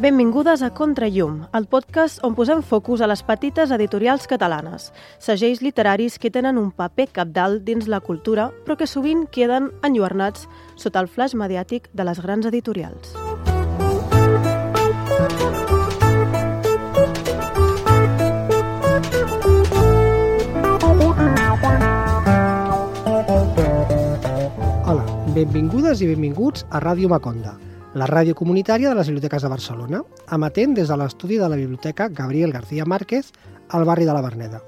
Benvingudes a Contrallum, el podcast on posem focus a les petites editorials catalanes, segells literaris que tenen un paper cabdal dins la cultura, però que sovint queden enlluernats sota el flaix mediàtic de les grans editorials. Hola, benvingudes i benvinguts a Ràdio Maconda, la ràdio comunitària de les biblioteques de Barcelona, emetent des de l'estudi de la Biblioteca Gabriel García Márquez al barri de la Verneda.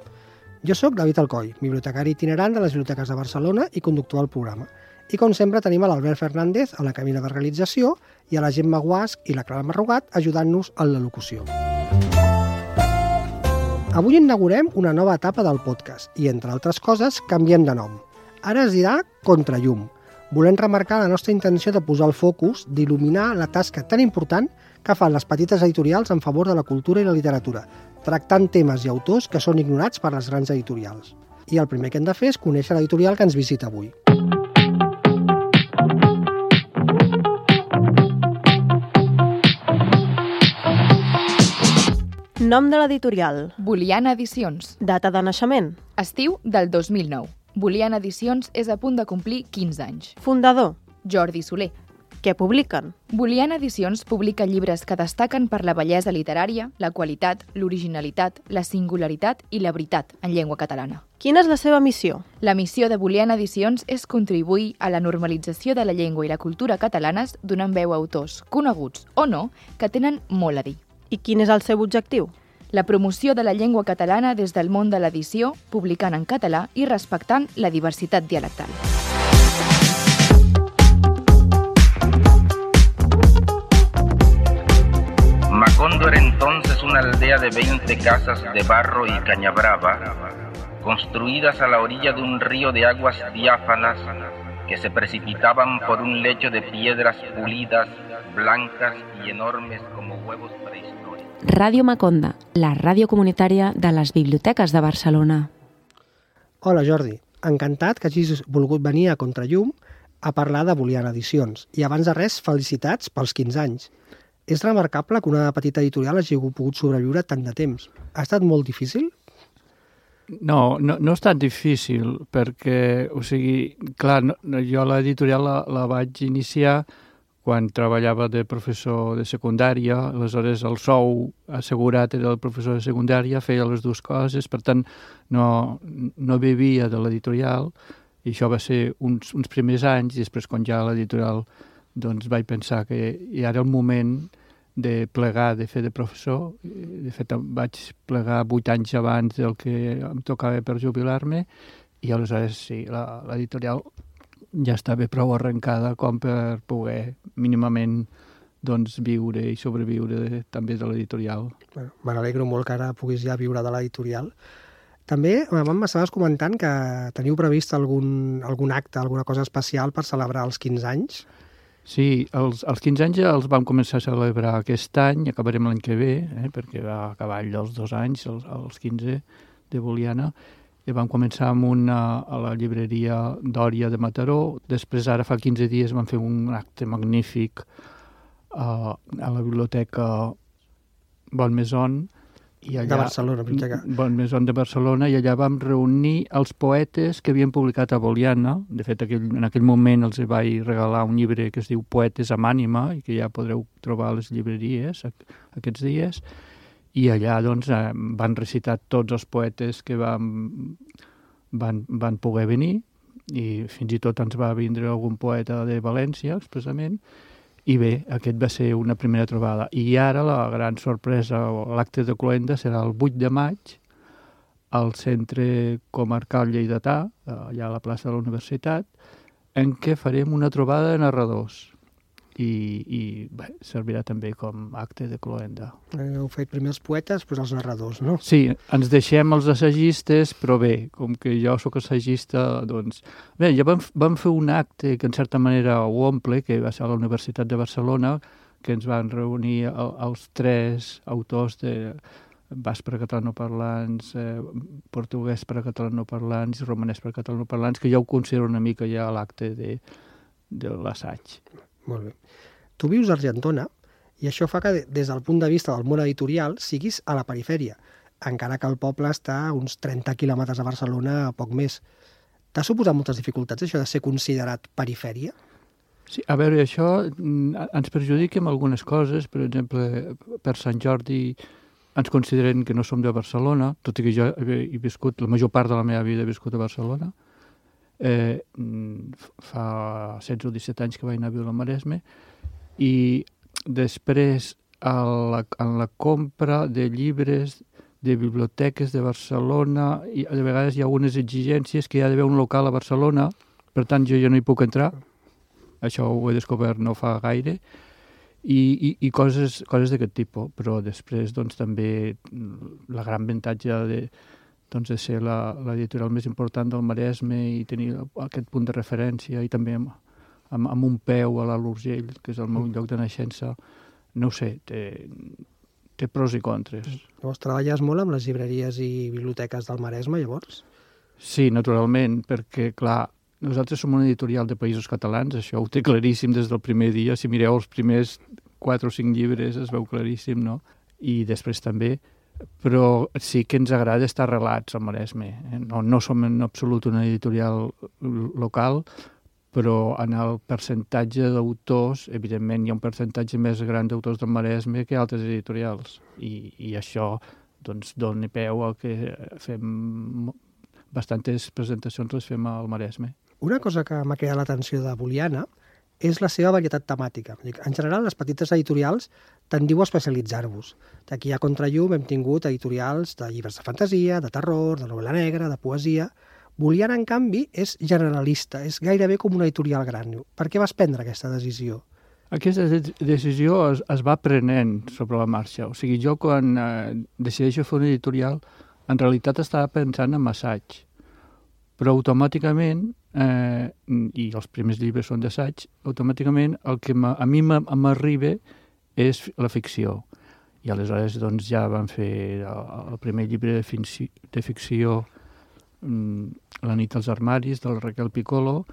Jo sóc David Alcoi, bibliotecari itinerant de les biblioteques de Barcelona i conductor del programa. I com sempre tenim a l'Albert Fernández a la cabina de realització i a la Gemma Guasch i la Clara Marrugat ajudant-nos en la locució. Avui inaugurem una nova etapa del podcast i, entre altres coses, canviem de nom. Ara es dirà Contrallum. Volem remarcar la nostra intenció de posar el focus, d'il·luminar la tasca tan important que fan les petites editorials en favor de la cultura i la literatura, tractant temes i autors que són ignorats per les grans editorials. I el primer que hem de fer és conèixer l'editorial que ens visita avui. Nom de l'editorial. Boliana Edicions. Data de naixement. Estiu del 2009. Boliana Edicions és a punt de complir 15 anys. Fundador. Jordi Soler. Què publiquen? Boliana Edicions publica llibres que destaquen per la bellesa literària, la qualitat, l'originalitat, la singularitat i la veritat en llengua catalana. Quina és la seva missió? La missió de Boliana Edicions és contribuir a la normalització de la llengua i la cultura catalanes donant veu a autors, coneguts o no, que tenen molt a dir. I quin és el seu objectiu? La promoció de la llengua catalana des del món de l'edició, publicant en català i respectant la diversitat dialectal. Macondo era entonces una aldea de 20 casas de barro y caña brava, construidas a la orilla de un río de aguas diáfanas que se precipitaban por un lecho de piedras pulidas, blancas y enormes como huevos prehistóricos. Ràdio Maconda, la ràdio comunitària de les biblioteques de Barcelona. Hola Jordi, encantat que hagis volgut venir a Contrallum a parlar de Boliana Edicions. I abans de res, felicitats pels 15 anys. És remarcable que una petita editorial hagi pogut sobreviure tant de temps. Ha estat molt difícil? No ha estat difícil, perquè, clar, jo l'editorial la vaig iniciar quan treballava de professor de secundària, aleshores el sou assegurat era el professor de secundària, feia les dues coses, per tant no vivia de l'editorial, i això va ser uns primers anys, i després quan ja l'editorial doncs vaig pensar que ja era el moment de plegar, de fer de professor. De fet, vaig plegar 8 anys abans del que em tocava per jubilar-me, i aleshores sí, l'editorial ja estava prou arrencada com per poder mínimament doncs, viure i sobreviure també de l'editorial. Bueno, me n'alegro molt que ara puguis ja viure de l'editorial. També m'estaves comentant que teniu previst algun acte, alguna cosa especial per celebrar els 15 anys? Sí, els 15 anys ja els vam començar a celebrar aquest any, acabarem l'any que ve, perquè va acabar els 2 anys, els 15 de Boliana, i vam començar amb a la llibreria Dòria de Mataró. Després, ara fa 15 dies, vam fer un acte magnífic a la biblioteca Bonmaison. De Barcelona, biblioteca. Bonmaison de Barcelona, i allà vam reunir els poetes que havien publicat a Boliana. De fet, en aquell moment els vaig regalar un llibre que es diu Poetes amb ànima, i que ja podreu trobar a les llibreries aquests dies. I allà doncs, van recitar tots els poetes que van poder venir, i fins i tot ens va vindre algun poeta de València, expressament, i bé, aquest va ser una primera trobada. I ara la gran sorpresa, l'acte de cloenda, serà el 8 de maig al Centre Comarcal Lleidatà, allà a la plaça de la Universitat, en què farem una trobada de narradors. I bé, servirà també com acte de cloenda. Heu fet primer els poetes, després els narradors, no? Sí, ens deixem els assagistes, però bé, com que jo sóc assagista, doncs... Bé, ja vam fer un acte que en certa manera ho omple, que va ser a la Universitat de Barcelona, que ens van reunir els 3 autors de basc per a catalanoparlants, portuguès per a catalanoparlants i romanès per a catalanoparlants, que ja ho considero una mica ja l'acte de l'assaig. Molt bé. Tu vius a Argentona I això fa que, des del punt de vista del món editorial, siguis a la perifèria, encara que el poble està a uns 30 quilòmetres de Barcelona, a poc més. T'ha suposat moltes dificultats, això de ser considerat perifèria? Sí, a veure, això ens perjudica en algunes coses. Per exemple, per Sant Jordi ens consideren que no som de Barcelona, tot i que jo he viscut, la major part de la meva vida he viscut a Barcelona. Fa 16 o 17 anys que vaig anar a viure al Maresme, i després en la compra de llibres de biblioteques de Barcelona, i de vegades hi ha algunes exigències que hi ha d'haver un local a Barcelona, per tant jo no hi puc entrar. Això ho he descobert no fa gaire, i coses d'aquest tipus. Però després doncs, també la gran avantatge de ser l'editorial més important del Maresme i tenir aquest punt de referència, i també amb un peu a l'Alt Urgell, que és el meu lloc de naixença, no ho sé, té pros i contres. Llavors, treballes molt amb les llibreries i biblioteques del Maresme, llavors? Sí, naturalment, perquè, clar, nosaltres som una editorial de països catalans, això ho té claríssim des del primer dia. Si mireu els primers 4 o 5 llibres es veu claríssim, no? I després també, però sí que ens agrada estar arrelats al Maresme. No som en absolut una editorial local, però en el percentatge d'autors, evidentment, hi ha un percentatge més gran d'autors del Maresme que altres editorials. I això doncs, dona peu al que fem bastantes presentacions les fem al Maresme. Una cosa que m'ha cridat l'atenció de Boliana és la seva varietat temàtica. En general, les petites editorials tendiu a especialitzar-vos. D'aquí a Contrallum hem tingut editorials de llibres de fantasia, de terror, de novel·la negra, de poesia. Boliana, en canvi, és generalista, és gairebé com una editorial gran. Per què vas prendre aquesta decisió? Aquesta decisió es va prenent sobre la marxa. O sigui, jo quan decideixo fer una editorial, en realitat estava pensant en assaig. Però automàticament, i els primers llibres són d'assaig, automàticament el que a mi m'arriba és la ficció. I aleshores doncs, ja vam fer el primer llibre de ficció, La nit als armaris, del Raquel Piccolo,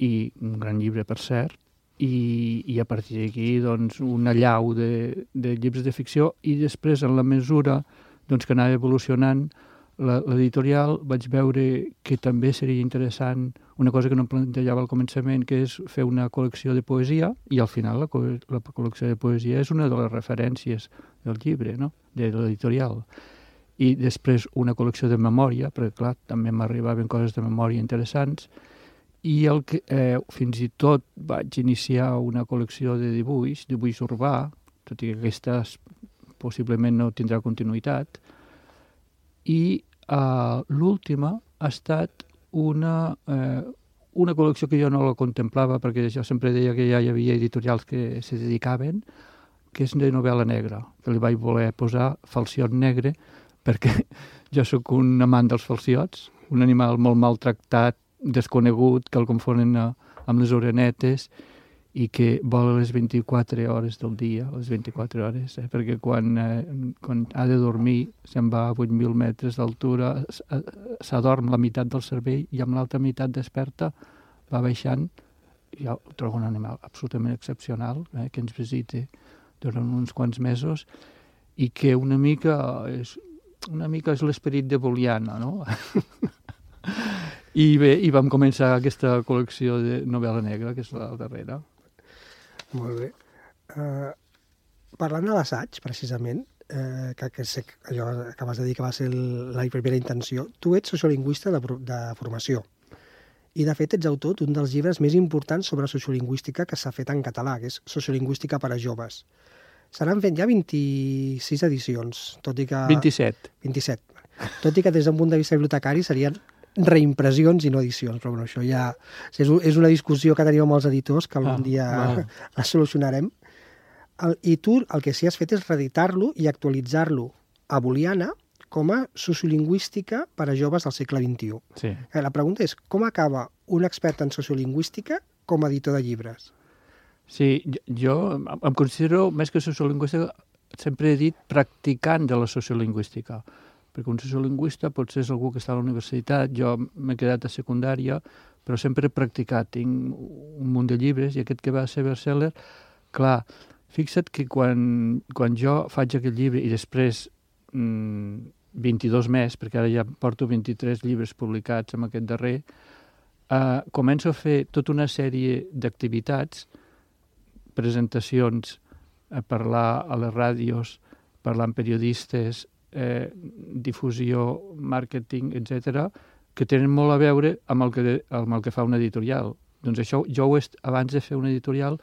i un gran llibre, per cert, i a partir d'aquí doncs, una llau de llibres de ficció, i després, en la mesura doncs, que anava evolucionant l'editorial, vaig veure que també seria interessant una cosa que no em plantejava al començament, que és fer una col·lecció de poesia, i al final la col·lecció de poesia és una de les referències del llibre, no? De l'editorial. I després una col·lecció de memòria, perquè clar, també m'arribaven coses de memòria interessants, i fins i tot vaig iniciar una col·lecció de dibuix urbà, tot i que aquesta possiblement no tindrà continuïtat, i l'última ha estat una col·lecció que jo no la contemplava, perquè jo sempre deia que ja hi havia editorials que se dedicaven, que és de novel·la negra, que li vaig voler posar Falciot negre, perquè jo sóc un amant dels falciots, un animal molt maltractat, desconegut, que el confonen amb les orenetes, i que vola les 24 hores del dia, les 24 hores, perquè quan ha de dormir se'n va a 8.000 metres d'altura, s'adorm la meitat del cervell i amb l'altra meitat desperta, va baixant. Jo trobo un animal absolutament excepcional, que ens visita durant uns quants mesos, i que una mica és l'esperit de Boliana, no? I bé, i vam començar aquesta col·lecció de novel·la negra, que és la darrera. Molt bé. Parlant de l'assaig, precisament, que sé allò que acabes de dir que va ser la primera intenció, tu ets sociolingüista de formació. I, de fet, ets autor d'un dels llibres més importants sobre sociolingüística que s'ha fet en català, que és Sociolingüística per a joves. Se n'han fet ja 26 edicions, tot i que... 27. 27. Tot i que des d'un punt de vista bibliotecari serien reimpressions i no edicions, però bueno, això ja és una discussió que tenim amb els editors, que algun dia la solucionarem. I tu el que sí has fet és reeditar-lo i actualitzar-lo a Boliana com a sociolingüística per a joves del segle XXI. Sí. La pregunta és, com acaba un expert en sociolingüística com a editor de llibres? Sí, jo em considero, més que sociolingüista, sempre he dit practicant de la sociolingüística, perquè un sociolingüista potser és algú que està a la universitat, jo m'he quedat a secundària, però sempre he practicat, tinc un munt de llibres, i aquest que va ser bestseller, clar, Fixa't que quan jo faig aquest llibre i després 22 més, perquè ara ja porto 23 llibres publicats amb aquest darrer, començo a fer tota una sèrie d'activitats, presentacions, a parlar a les ràdios, parlar amb periodistes, difusió, màrqueting, etc., que tenen molt a veure amb el que fa una editorial. Doncs això, jo abans de fer una editorial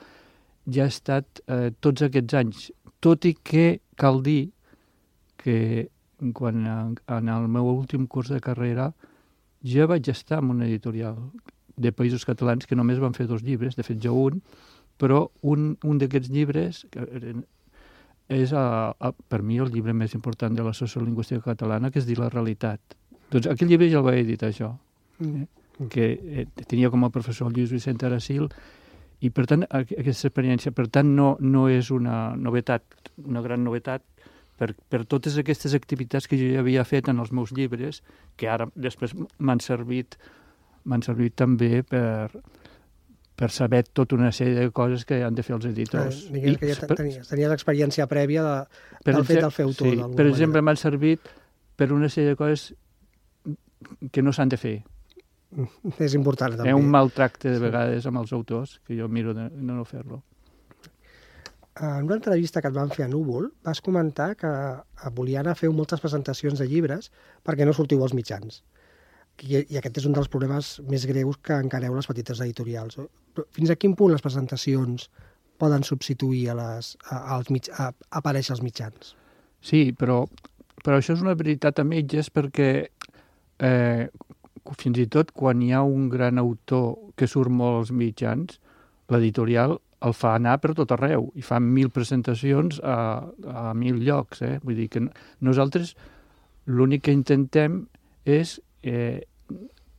ja he estat tots aquests anys, tot i que cal dir que quan en el meu últim curs de carrera ja vaig estar en una editorial de Països Catalans que només van fer 2 llibres, de fet jo un, però un d'aquests llibres és per mi el llibre més important de la sociolingüística catalana, que es diu La realitat. Doncs aquell llibre ja el vaig editar jo, que tenia com a professor el Lluís Vicent Aracil, i per tant aquesta experiència no és una novetat, una gran novetat, per totes aquestes activitats que jo ja havia fet en els meus llibres, que ara després m'han servit també per saber tota una sèrie de coses que han de fer els editors. Digues que ja tenies l'experiència prèvia del fet del fer autor. Sí, per exemple, m'han servit per una sèrie de coses que no s'han de fer. És important, també. Un maltracte de vegades amb els autors, que jo miro de no fer-lo. En una entrevista que et van fer a Núvol, vas comentar que a Boliana feu moltes presentacions de llibres perquè no sortiu als mitjans. I aquest és un dels problemes més greus que encareu les petites editorials. Fins a quin punt les presentacions poden substituir a aparèixer als mitjans? Sí, però això és una veritat a mitges perquè fins i tot quan hi ha un gran autor que surt molt als mitjans, l'editorial el fa anar per tot arreu i fa 1.000 presentacions a 1.000 llocs. Vull dir que nosaltres l'únic que intentem és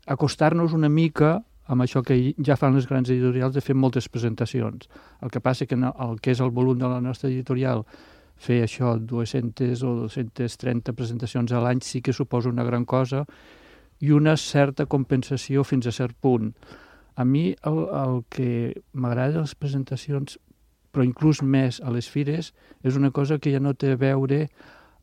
acostar-nos una mica amb això que ja fan les grans editorials de fer moltes presentacions. El que passa que el que és el volum de la nostra editorial, fer això 200 o 230 presentacions a l'any sí que suposa una gran cosa i una certa compensació fins a cert punt. A mi el que m'agrada de les presentacions, però inclús més a les fires, és una cosa que ja no té a veure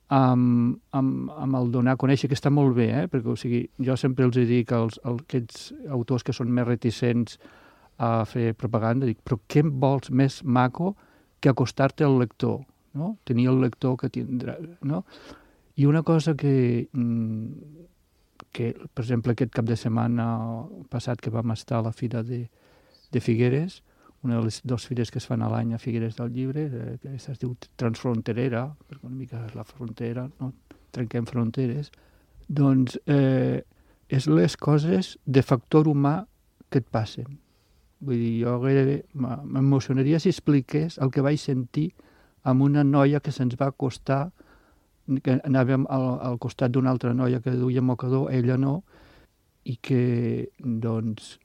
amb el donar a conèixer, que està molt bé, perquè o sigui, jo sempre els dic als aquests autors que són més reticents a fer propaganda, dic, però què vols més maco que acostar-te al lector, no? Tenir el lector que tindrà, no? I una cosa que, per exemple, aquest cap de setmana passat que vam estar a la Fira de Figueres, una de les 2 fires que es fan a l'any a Figueres del Llibre, que es diu Transfronterera, perquè una mica és la frontera, no? Trenquem fronteres, doncs és les coses de factor humà que et passen. Vull dir, jo gairebé m'emocionaria si expliqués el que vaig sentir amb una noia que se'ns va acostar, que anàvem al costat d'una altra noia que duia mocador, ella no, i que, doncs,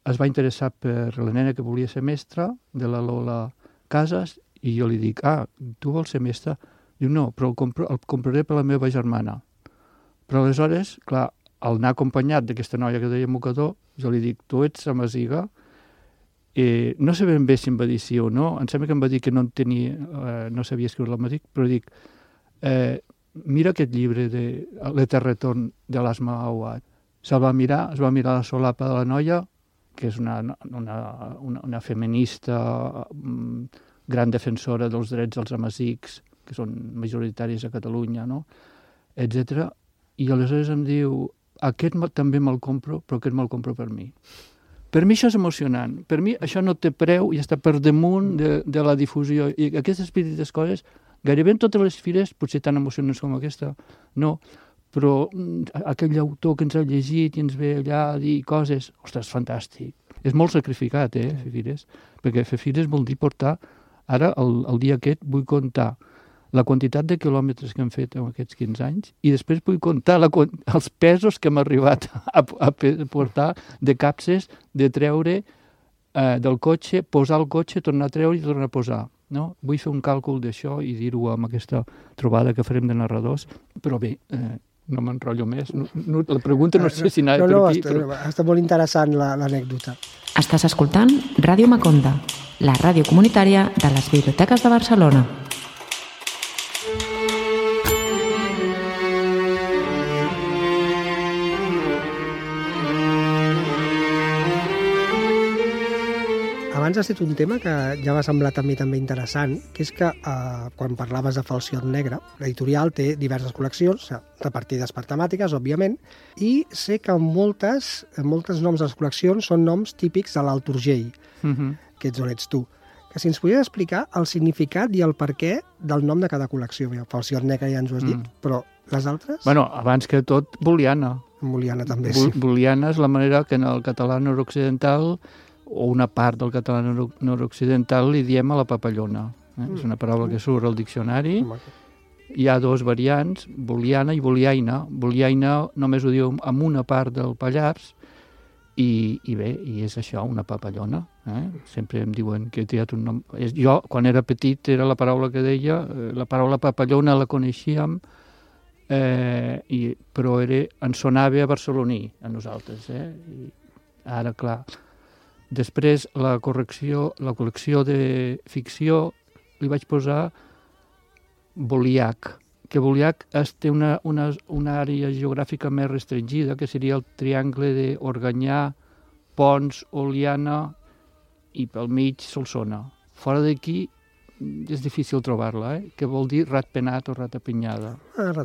es va interessar per la nena que volia ser mestra, de la Lola Casas, i jo li dic, tu vols ser mestra? Diu, no, però el compraré per la meva germana. Però aleshores, clar, al anar acompanyat d'aquesta noia que deia mocador, jo li dic, tu ets amasiga? No sé ben bé si em va dir sí o no, em sembla que em va dir que no sabia escriure l'amasic, però dic, mira aquest llibre de l'Etern retorn de l'Asma Awad. Es va mirar la solapa de la noia, que és una feminista gran defensora dels drets dels amasics, que són majoritaris a Catalunya, no? Etc. I aleshores em diu, aquest també me'l compro, però aquest me'l compro per mi. Per mi això és emocionant. Per mi això no té preu i està per damunt de la difusió. I aquestes petites coses, gairebé en totes les fires, potser tan emocionants com aquesta, no, però aquell autor que ens ha llegit i ens ve allà a dir coses, ostres, fantàstic. És molt sacrificat, fer fires, perquè fer fires vol dir portar, ara, el dia aquest, vull comptar la quantitat de quilòmetres que hem fet en aquests 15 anys i després vull comptar els pesos que hem arribat a portar de capses, de treure del cotxe, posar el cotxe, tornar a treure i tornar a posar. No? Vull fer un càlcul d'això i dir-ho amb aquesta trobada que farem de narradors, però bé, no m'enrotllo més. La pregunta no sé si anava per aquí. Està molt interessant l'anècdota. Estàs escoltant Ràdio Maconda, la ràdio comunitària de les Biblioteques de Barcelona. Abans has dit un tema que ja m'ha semblat a mi també interessant, que és que quan parlaves de Falciot Negre, l'editorial té diverses col·leccions, repartides per temàtiques, òbviament, i sé que moltes noms de les col·leccions són noms típics de l'Alt Urgell, que ets on ets tu. Que si ens podries explicar el significat i el perquè del nom de cada col·lecció. Falciot Negre ja ens ho has dit, però les altres? Bueno, abans que tot, booleana. Booleana també, sí. Booleana és la manera que en el català nord-occidental o una part del català nord-occidental li diem a la papallona. És una paraula que surt al diccionari. Hi ha dos variants, booleana i booleaina. Booleaina només ho diu amb una part del Pallars i bé, i és això, una papallona. Sempre em diuen que he triat un nom. Jo, quan era petit, era la paraula que deia, la paraula papallona la coneixíem, però ens sonava a barceloní, a nosaltres. I ara, clar, després la col·lecció de ficció li vaig posar Boliac, que Boliac té una àrea geogràfica més restringida, que seria el triangle d'Organyà, Pons, Oliana i pel mig Solsona. Fora d'aquí és difícil trobar-la, que vol dir ratpenat o ratapinyada.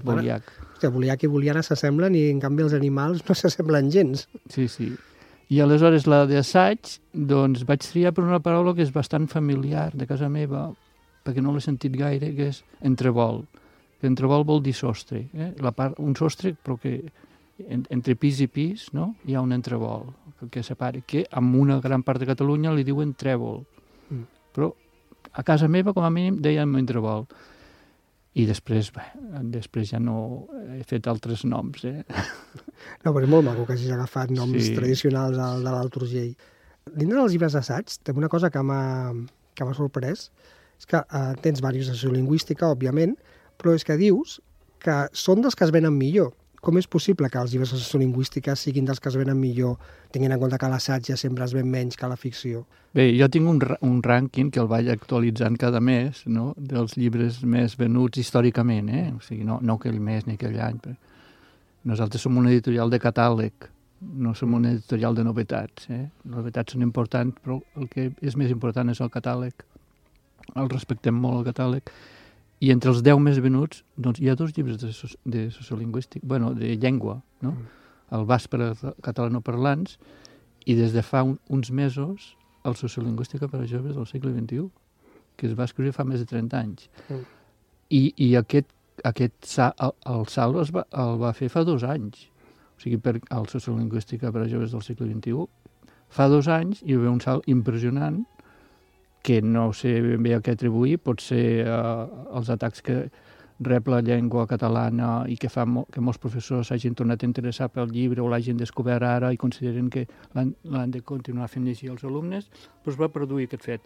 Boliac. Boliac i Boliana s'assemblen i en canvi els animals no s'assemblen gens. Sí, sí. I aleshores la d'assaig, doncs vaig triar per una paraula que és bastant familiar de casa meva, perquè no l'he sentit gaire, que és entrevol. Entrevol vol dir sostre. Un sostre, però que entre pis i pis, no? Hi ha un entrevol que separa, que en una gran part de Catalunya li diuen trèvol. Però a casa meva, com a mínim, dèiem entrevol. I després ja no he fet altres noms. No, però és molt maco que hagis agafat noms tradicionals de l'Alt Urgell. Dintre dels llibres d'assaig, també una cosa que m'ha sorprès, és que tens diversos de sociolingüística, òbviament, però és que dius que són dels que es venen millor. Com és possible que els llibres de sociolingüística siguin dels que es venen millor, tenint en compte que l'assaig ja sempre es ven menys que la ficció? Bé, jo tinc un rànquing que el vaig actualitzant cada mes, no?, dels llibres més venuts històricament, O sigui, no aquell mes ni aquell any. Nosaltres som una editorial de catàleg, no som una editorial de novetats. Les novetats són importants, però el que és més important és el catàleg. El respectem molt, el catàleg. I entre els 10 més venuts, doncs, hi ha 2 llibres de sociolingüística, de llengua, no? El Basc per a catalanoparlants i des de fa uns mesos el Sociolingüística per a joves del segle XXI, que es va escriure fa més de 30 anys. I aquest salt el va fer fa 2 anys. O sigui, el Sociolingüística per a joves del segle XXI fa 2 anys hi va haver un salt impressionant que no sé ben bé a què atribuir, pot ser els atacs que rep la llengua catalana i que fa que molts professors s'hagin tornat a interessar pel llibre o l'hagin descobert ara i consideren que l'han de continuar fent llegir als alumnes, però es va produir aquest fet.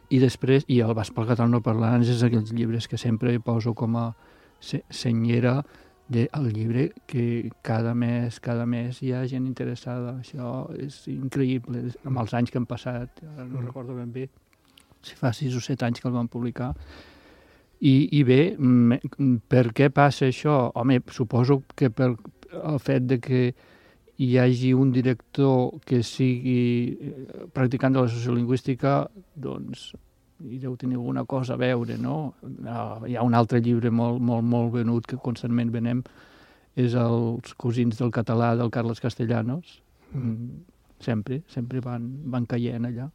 I després, i el Basc per catalanoparlants és aquells llibres que sempre poso com a senyera del llibre, que cada mes hi ha gent interessada. Això és increïble, amb els anys que han passat, no recordo ben bé, si fa 6 o 7 anys que el van publicar. I bé, per què passa això? Home, suposo que per el fet de que hi hagi un director que sigui practicant de la sociolingüística, doncs hi deu tenir alguna cosa a veure, no? Hi ha un altre llibre molt venut que constantment venem, és Els cosins del català del Carles Castellanos. Sempre van caient allà.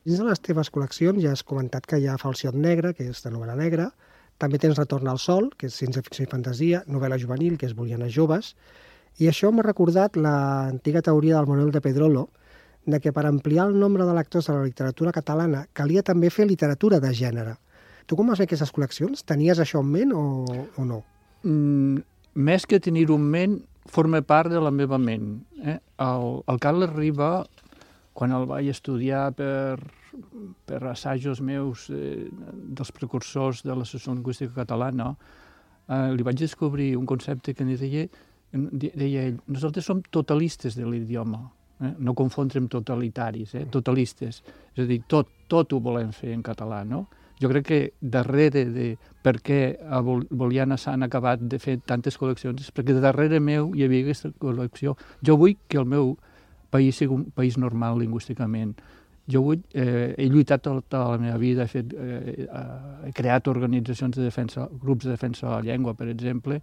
Dins de les teves col·leccions ja has comentat que hi ha Falciot Negre, que és de novel·la negra, també tens Retorn al sol, que és ciència-ficció i fantasia, novel·la juvenil, que és Bolianes joves, i això m'ha recordat l'antiga teoria del Manuel de Pedrolo, de que per ampliar el nombre de lectors de la literatura catalana calia també fer literatura de gènere. Tu com vas fer aquestes col·leccions? Tenies això en ment o no? Més que tenir-ho en ment, forma part de la meva ment. El Carles Riba, quan el vaig estudiar per assajos meus dels precursors de la sociolingüística catalana, li vaig descobrir un concepte que deia ell, nosaltres som totalistes de l'idioma. no confondre amb totalitaris, totalistes. És a dir, tot ho volem fer en català, no? Jo crec que darrere de per què a Boliana s'han acabat de fer tantes col·leccions és perquè darrere meu hi havia aquesta col·lecció. Jo vull que el meu país sigui un país normal lingüísticament. Jo he lluitat tota la meva vida, he creat organitzacions de defensa, grups de defensa de la llengua, per exemple,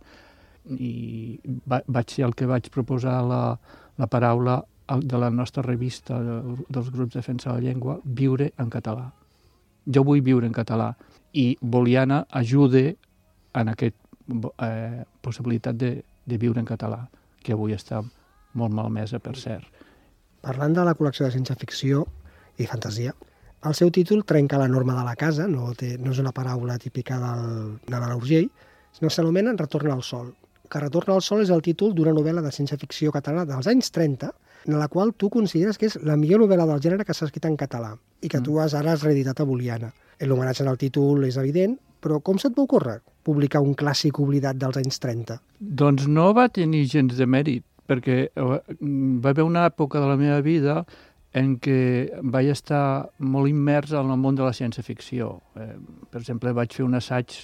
i vaig ser el que vaig proposar la paraula de la nostra revista dels grups de defensa de la llengua, viure en català. Jo vull viure en català i Boliana ajuda en aquesta possibilitat de viure en català, que avui està molt malmesa, per cert. Parlant de la col·lecció de ciència-ficció i fantasia, el seu títol trenca la norma de la casa, no és una paraula típica de l'Urgell, sinó que s'anomena Retorn al sol. Que Retorn al sol és el títol d'una novel·la de ciència-ficció catalana dels anys 30, en la qual tu consideres que és la millor novel·la del gènere que s'ha escrit en català i que tu ara has reeditat a Boliana. L'homenatge en el títol és evident, però com se't va ocórrer publicar un clàssic oblidat dels anys 30? Doncs no va tenir gens de mèrit, perquè va haver una època de la meva vida en què vaig estar molt immers en el món de la ciència-ficció. Per exemple, vaig fer un assaig,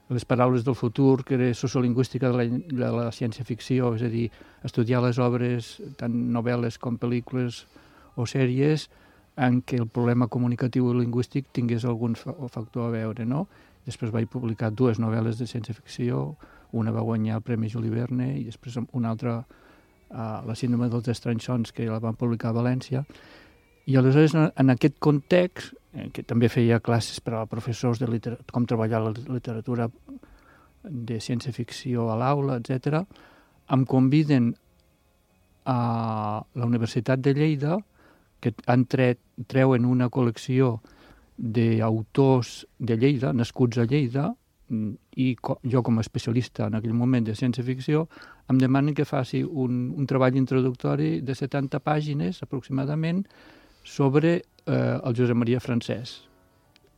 Les paraules del futur, que era sociolingüística de la ciència-ficció, és a dir, estudiar les obres, tant novel·les com pel·lícules o sèries, en què el problema comunicatiu i lingüístic tingués algun factor a veure, no? Després vaig publicar 2 novel·les de ciència-ficció, una va guanyar el Premi Juli Verne i després una altra, La síndrome dels estranys sons, que la van publicar a València. I aleshores, en aquest context, que també feia classes per a professors de com treballar la literatura de ciència-ficció a l'aula, etc., em conviden a la Universitat de Lleida, que treuen una col·lecció d'autors de Lleida, nascuts a Lleida, i jo com a especialista en aquell moment de ciència-ficció em demanen que faci un treball introductori de 70 pàgines aproximadament sobre el Josep Maria Francès.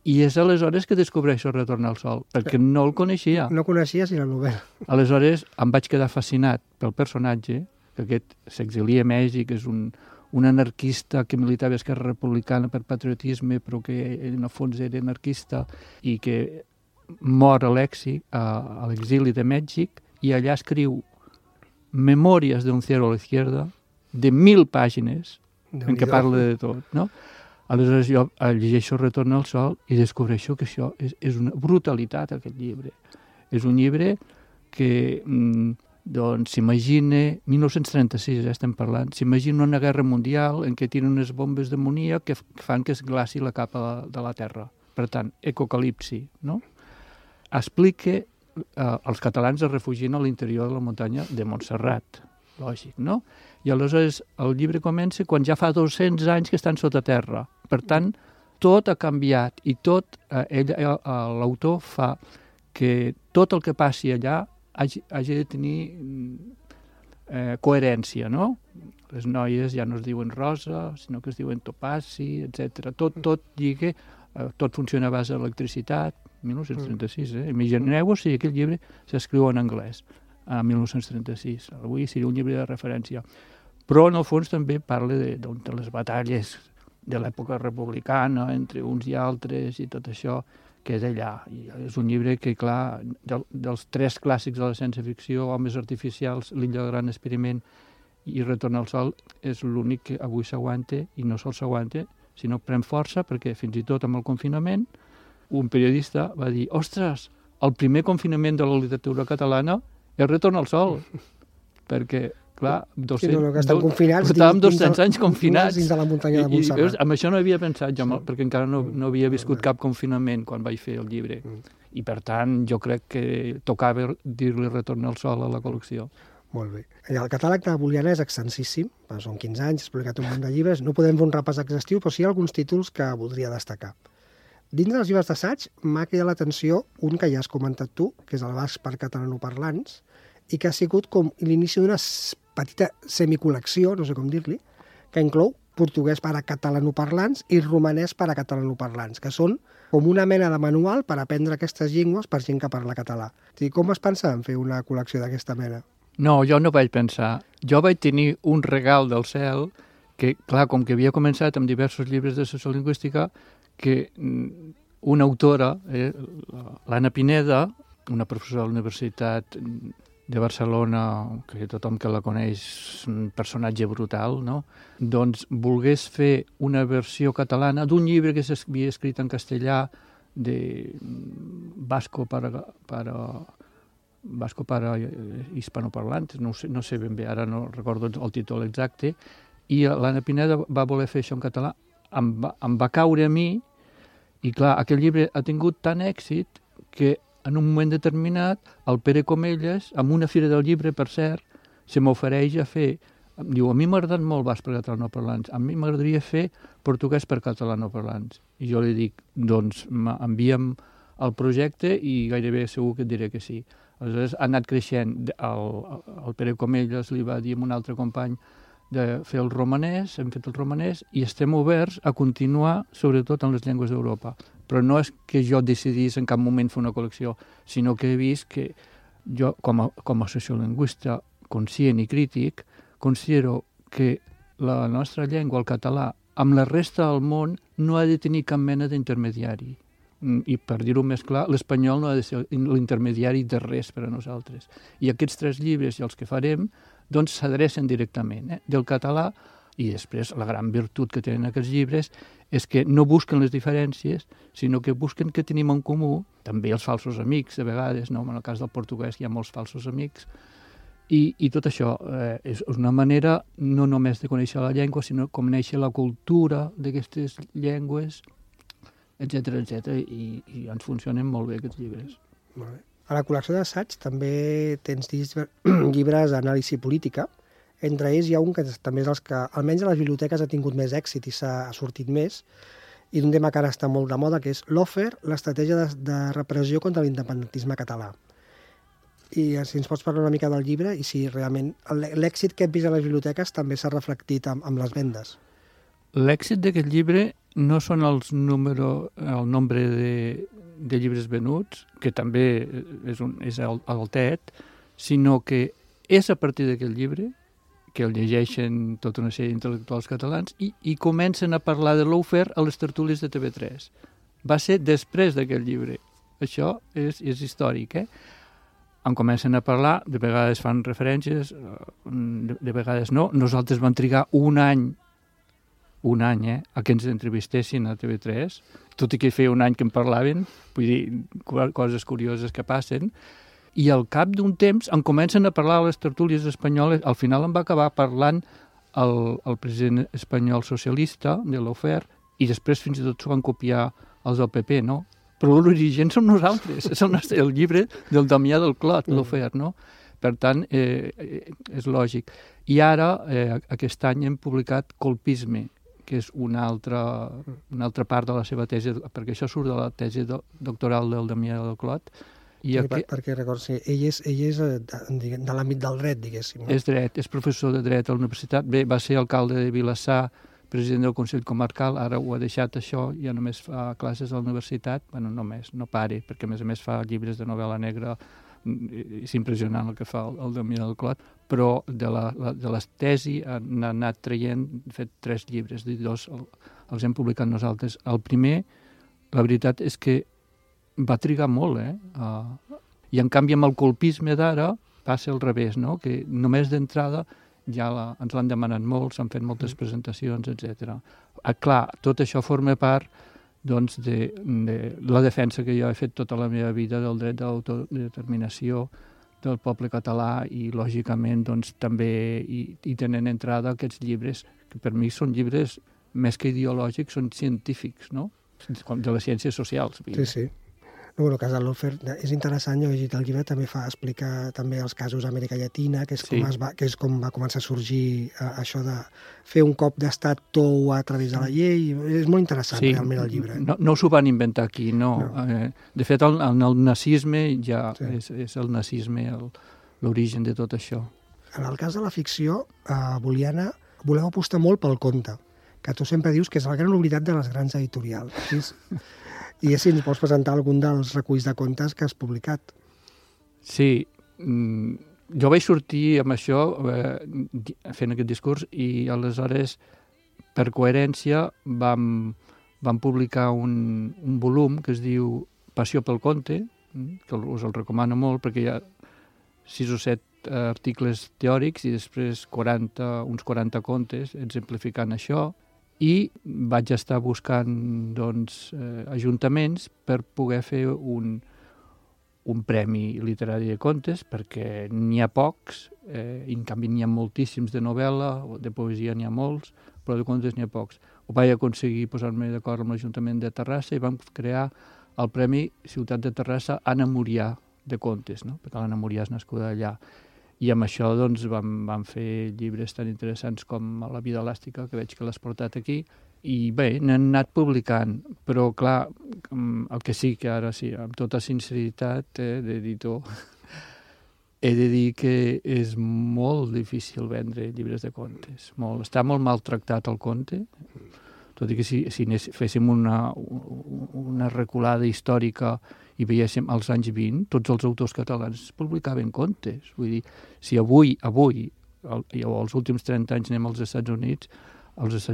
I és aleshores que descobreixo Retorn al sol, perquè no el coneixia. No coneixies ni la novel·la. Aleshores em vaig quedar fascinat pel personatge, que aquest s'exilia a Mèxic, és un anarquista que militava a Esquerra Republicana per patriotisme, però que en el fons era anarquista i que mor a l'exili de Mèxic, i allà escriu Memòries d'un cero a la izquierda, de 1000 pàgines, en què parla de tot, no? Aleshores jo llegeixo Retorn al sol i descobreixo que això és una brutalitat, aquest llibre. És un llibre que doncs s'imagina, 1936 estem parlant, s'imagina una guerra mundial en què tenen unes bombes d'amoníac que fan que es glaci la capa de la Terra. Per tant, ecocalipsi, no? Explica els catalans es refugien a l'interior de la muntanya de Montserrat, lògic, no? I aleshores el llibre comença quan ja fa 200 anys que estan sota terra. Per tant, tot ha canviat i tot, l'autor fa que tot el que passi allà hagi de tenir coherència, no? Les noies ja no es diuen Rosa, sinó que es diuen Topazi, etc. Tot lliga, tot funciona a base d'electricitat, 1936, Imagineu-vos si aquest llibre s'escriu en anglès, a 1936. Avui seria un llibre de referència. Però, en el fons, també parla de les batalles de l'època republicana entre uns i altres i tot això que és allà. I és un llibre que, clar, dels 3 clàssics de la ciència-ficció, Homes artificials, L'illa del gran experiment i Retorn al sol, és l'únic que avui s'aguanta, i no sols s'aguanta, sinó pren força, perquè fins i tot amb el confinament un periodista va dir, ostres, el primer confinament de la literatura catalana és Retorn al sol, perquè, clar, portàvem 200 anys confinats. Dins de la muntanya de Montserrat. Amb això no havia pensat jo, perquè encara no havia viscut cap confinament quan vaig fer el llibre. I, per tant, jo crec que tocava dir-li Retorn al sol a la col·lecció. Molt bé. El catàleg de Boliana és extensíssim, són 15 anys, has publicat un munt de llibres, no podem fer un repàs exhaustiu, però sí hi ha alguns títols que voldria destacar. Dins dels llibres d'assaig m'ha cridat l'atenció un que ja has comentat tu, que és el Basc per catalanoparlants, i que ha sigut com l'inici d'una petita semicol·lecció, no sé com dir-li, que inclou portuguès per a catalanoparlants i romanès per a catalanoparlants, que són com una mena de manual per aprendre aquestes llengües per gent que parla català. Com es pensa en fer una col·lecció d'aquesta mena? No, jo no vaig pensar. Jo vaig tenir un regal del cel que, clar, com que havia començat amb diversos llibres de sociolingüística, que una autora, l'Anna Pineda, una professora de la Universitat de Barcelona, que tothom que la coneix és un personatge brutal, no? Doncs volgués fer una versió catalana d'un llibre que s'havia escrit en castellà de Vasco para hispanoparlantes, no sé ben bé, ara no recordo el títol exacte, i l'Anna Pineda va voler fer això en català, em va caure a mi, i clar, aquell llibre ha tingut tant èxit que en un moment determinat el Pere Comelles, amb una fira del llibre, per cert, se m'ofereix a fer, diu, a mi m'ha agradat molt basc per catalanoparlants, a mi m'agradaria fer portuguès per catalanoparlants. I jo li dic, doncs envia'm el projecte i gairebé segur que et diré que sí. Aleshores ha anat creixent, el Pere Comelles li va dir a un altre company de fer el romanès, hem fet el romanès i estem oberts a continuar sobretot en les llengües d'Europa. Però no és que jo decidís en cap moment fer una col·lecció, sinó que he vist que jo, com a sociolingüista conscient i crític, considero que la nostra llengua, el català, amb la resta del món no ha de tenir cap mena d'intermediari. I per dir-ho més clar, l'espanyol no ha de ser l'intermediari de res per a nosaltres. I aquests 3 llibres i els que farem doncs s'adrecen directament del català, i després la gran virtut que tenen aquests llibres és que no busquen les diferències, sinó que busquen que tenim en comú, també els falsos amics, de vegades, no? En el cas del portuguès hi ha molts falsos amics, i tot això és una manera no només de conèixer la llengua, sinó de conèixer la cultura d'aquestes llengües, etc i ens funcionen molt bé aquests llibres. Molt bé. A la col·lecció d'assaig també tens llibres d'anàlisi política. Entre ells hi ha un que també és els que, almenys a les biblioteques, ha tingut més èxit i s'ha sortit més, i d'un tema que ara està molt de moda, que és l'Offer, l'estratègia de repressió contra l'independentisme català. I si ens pots parlar una mica del llibre i si realment l'èxit que hem vist a les biblioteques també s'ha reflectit amb les vendes. L'èxit d'aquest llibre no són el nombre de llibres venuts, que també és altet, sinó que és a partir d'aquest llibre que el llegeixen tota una sèrie d'intel·lectuals catalans i comencen a parlar de l'Offer a les tertúlies de TV3. Va ser després d'aquest llibre. Això és històric, En comencen a parlar, de vegades fan referències, de vegades no. Nosaltres vam trigar un any a que ens entrevistessin a TV3, tot i que feia un any que en parlaven, vull dir, coses curioses que passen, i al cap d'un temps en comencen a parlar a les tertúlies espanyoles. Al final en va acabar parlant el president espanyol socialista de l'Offer, i després fins i tot s'ho van copiar els del PP, no? Però l'origen som nosaltres, és el llibre del Damià del Clot, l'Offer, no? Per tant, és lògic. I ara, aquest any, hem publicat Colpisme, que és una altra part de la seva tesi, perquè això surt de la tesi doctoral del Damià del Clot. Perquè recordo, ell és de l'àmbit del dret, diguéssim. És dret, és professor de dret a la universitat. Bé, va ser alcalde de Vilassar, president del Consell Comarcal, ara ho ha deixat això, ja només fa classes a la universitat, bueno, només, no pare, perquè a més fa llibres de novel·la negra, és impressionant el que fa el Damià del Clot, però de les tesi n'ha anat traient, fet 3 llibres, 2 els hem publicat nosaltres. El primer, la veritat és que va trigar molt, i en canvi amb el colpisme d'ara passa al revés, no? Que només d'entrada ja ens l'han demanat molt, s'han fet moltes presentacions, etc. Clar, tot això forma part doncs, de la defensa que jo he fet tota la meva vida del dret de l'autodeterminació del poble català i, lògicament, doncs, també hi tenen entrada aquests llibres, que per mi són llibres més que ideològics, són científics, no? De les ciències socials. Sí. No, el cas de l'Offer és interessant, jo he llegit el llibre, també explica també els casos d'Amèrica Llatina, que és com va començar a sorgir això de fer un cop d'estat tou a través de la llei. És molt interessant, realment, el llibre. No s'ho van inventar aquí, no. De fet, en el nazisme ja és el nazisme l'origen de tot això. En el cas de la ficció, Boliana, voleu apostar molt pel conte, que tu sempre dius que és la gran oblidat de les grans editorials. I si ens pots presentar algun dels reculls de contes que has publicat. Sí, jo vaig sortir amb això fent aquest discurs i aleshores per coherència, vam publicar un volum que es diu Passió pel conte, que us el recomano molt, perquè hi ha 6 o 7 articles teòrics i després uns 40 contes exemplificant això, i vaig estar buscant ajuntaments per poder fer un premi literari de contes, perquè n'hi ha pocs, i en canvi n'hi ha moltíssims de novel·la, de poesia n'hi ha molts, però de contes n'hi ha pocs. Ho vaig aconseguir posar-me d'acord amb l'Ajuntament de Terrassa i vam crear el Premi Ciutat de Terrassa Anna Murià de contes, no? Perquè l'Anna Murià és nascuda allà. I amb això vam fer llibres tan interessants com La vida elàstica, que veig que l'has portat aquí, i bé, n'han anat publicant, però clar, el que sí que ara sí, amb tota sinceritat d'editor, he de dir que és molt difícil vendre llibres de contes. Està molt maltractat el conte, tot i que si féssim una reculada històrica i veiéssim als anys 20, tots els autors catalans publicaven contes. Vull dir, si avui, o els últims 30 anys anem als Estats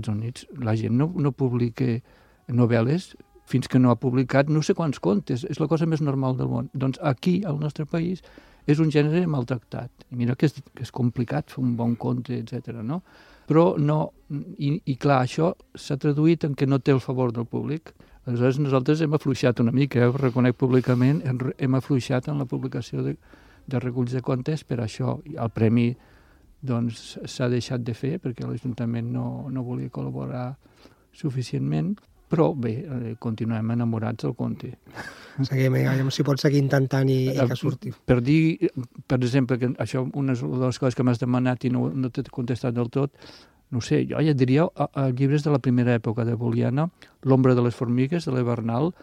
Units, la gent no publica novel·les fins que no ha publicat no sé quants contes. És la cosa més normal del món. Doncs aquí, al nostre país, és un gènere maltractat. I mira que és complicat fer un bon conte, etc. no? Però no... I clar, això s'ha traduït en que no té el favor del públic. Aleshores, nosaltres hem afluixat una mica, ho reconec públicament, hem afluixat en la publicació de reculls de contes per això. El premi s'ha deixat de fer perquè l'Ajuntament no volia col·laborar suficientment, però bé, continuem enamorats del conte. Seguim, si pots seguir intentant i que surti. Per dir, per exemple, que això una de les coses que m'has demanat i no t'he contestat del tot, no sé, jo ja diria llibres de la primera època de Boliana, L'ombra de les formigues, de l'Hivernal,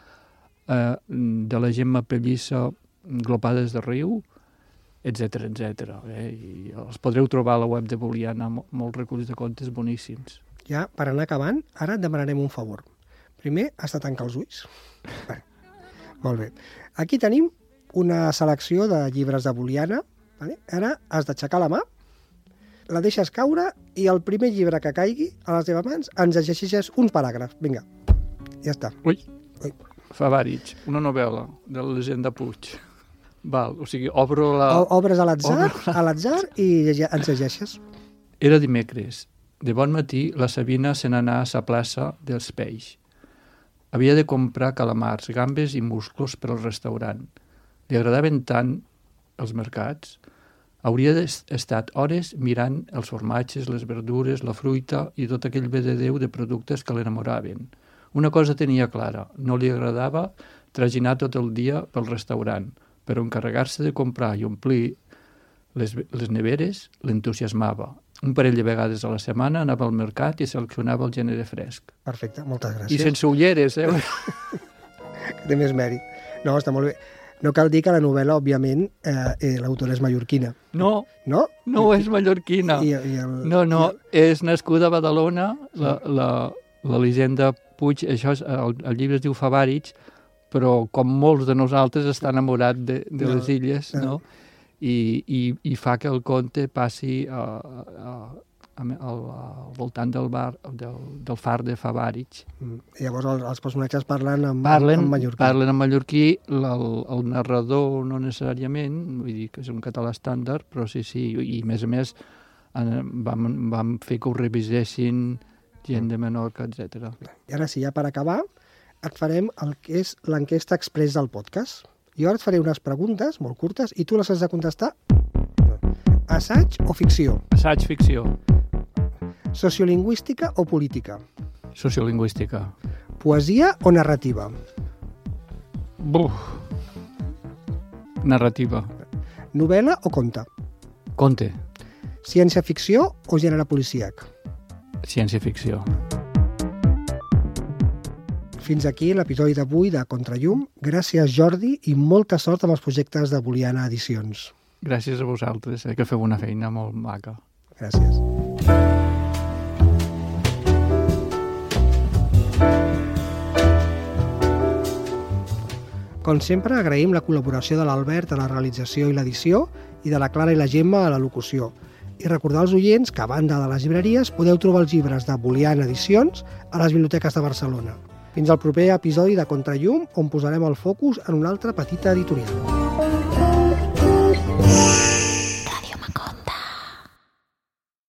de la Gemma Pellissa, Glopades de riu, etc. I els podreu trobar a la web de Boliana, molts reculls de contes boníssims. Ja, per anar acabant, ara et demanarem un favor. Primer, has de tancar els ulls. Bé, molt bé. Aquí tenim una selecció de llibres de Boliana. Vale? Ara has d'aixecar la mà, la deixes caure i el primer llibre que caigui a les teves mans ens llegeixes un paràgraf. Vinga, ja està. Ui. Fabàric, una novel·la de l'Elisenda Puig. Val, o sigui, obres a l'atzar i ens llegeixes. Era dimecres. De bon matí, la Sabina se n'anà a la plaça dels Peix. Havia de comprar calamars, gambes i musclos per al restaurant. Li agradaven tant els mercats. Hauria estat hores mirant els formatges, les verdures, la fruita i tot aquell bé de Déu de productes que l'enamoraven. Una cosa tenia clara, no li agradava traginar tot el dia pel restaurant, però encarregar-se de comprar i omplir les neveres l'entusiasmava. Un parell de vegades a la setmana anava al mercat i seleccionava el gènere fresc. Perfecte, moltes gràcies. I sense ulleres, Que té més mèrit. No, està molt bé. No cal dir que la novel·la, òbviament, l'autora és mallorquina. No, no? No és mallorquina. No, és nascuda a Badalona, l'Elisenda Puig, això el llibre es diu Fabàric, però com molts de nosaltres està enamorat de les illes, no? I fa que el conte passi al voltant del far de Fabàric. Llavors els personatges parlen en mallorquí. Parlen en mallorquí, el narrador no necessàriament, vull dir que és un català estàndard, però sí, i a més vam fer que ho revisessin gent de Menorca, etc. I ara sí, ja per acabar, et farem el que és l'enquesta express del podcast. Jo ara et faré unes preguntes molt curtes i tu les has de contestar. Assaig o ficció? Assaig, ficció. Sociolingüística o política? Sociolingüística. Poesia o narrativa? Narrativa. Novel·la o conte? Conte. Ciència-ficció o gènere policíac? Ciència-ficció. Fins aquí l'episodi d'avui de Contrallum. Gràcies, Jordi, i molta sort amb els projectes de Boliana Edicions. Gràcies a vosaltres, que feu una feina molt maca. Gràcies. Com sempre, agraïm la col·laboració de l'Albert a la realització i l'edició i de la Clara i la Gemma a la locució. I recordar als oients que, a banda de les llibreries, podeu trobar els llibres de Bolian Edicions a les biblioteques de Barcelona. Fins al proper episodi de Contrallum, on posarem el focus en una altra petita editorial.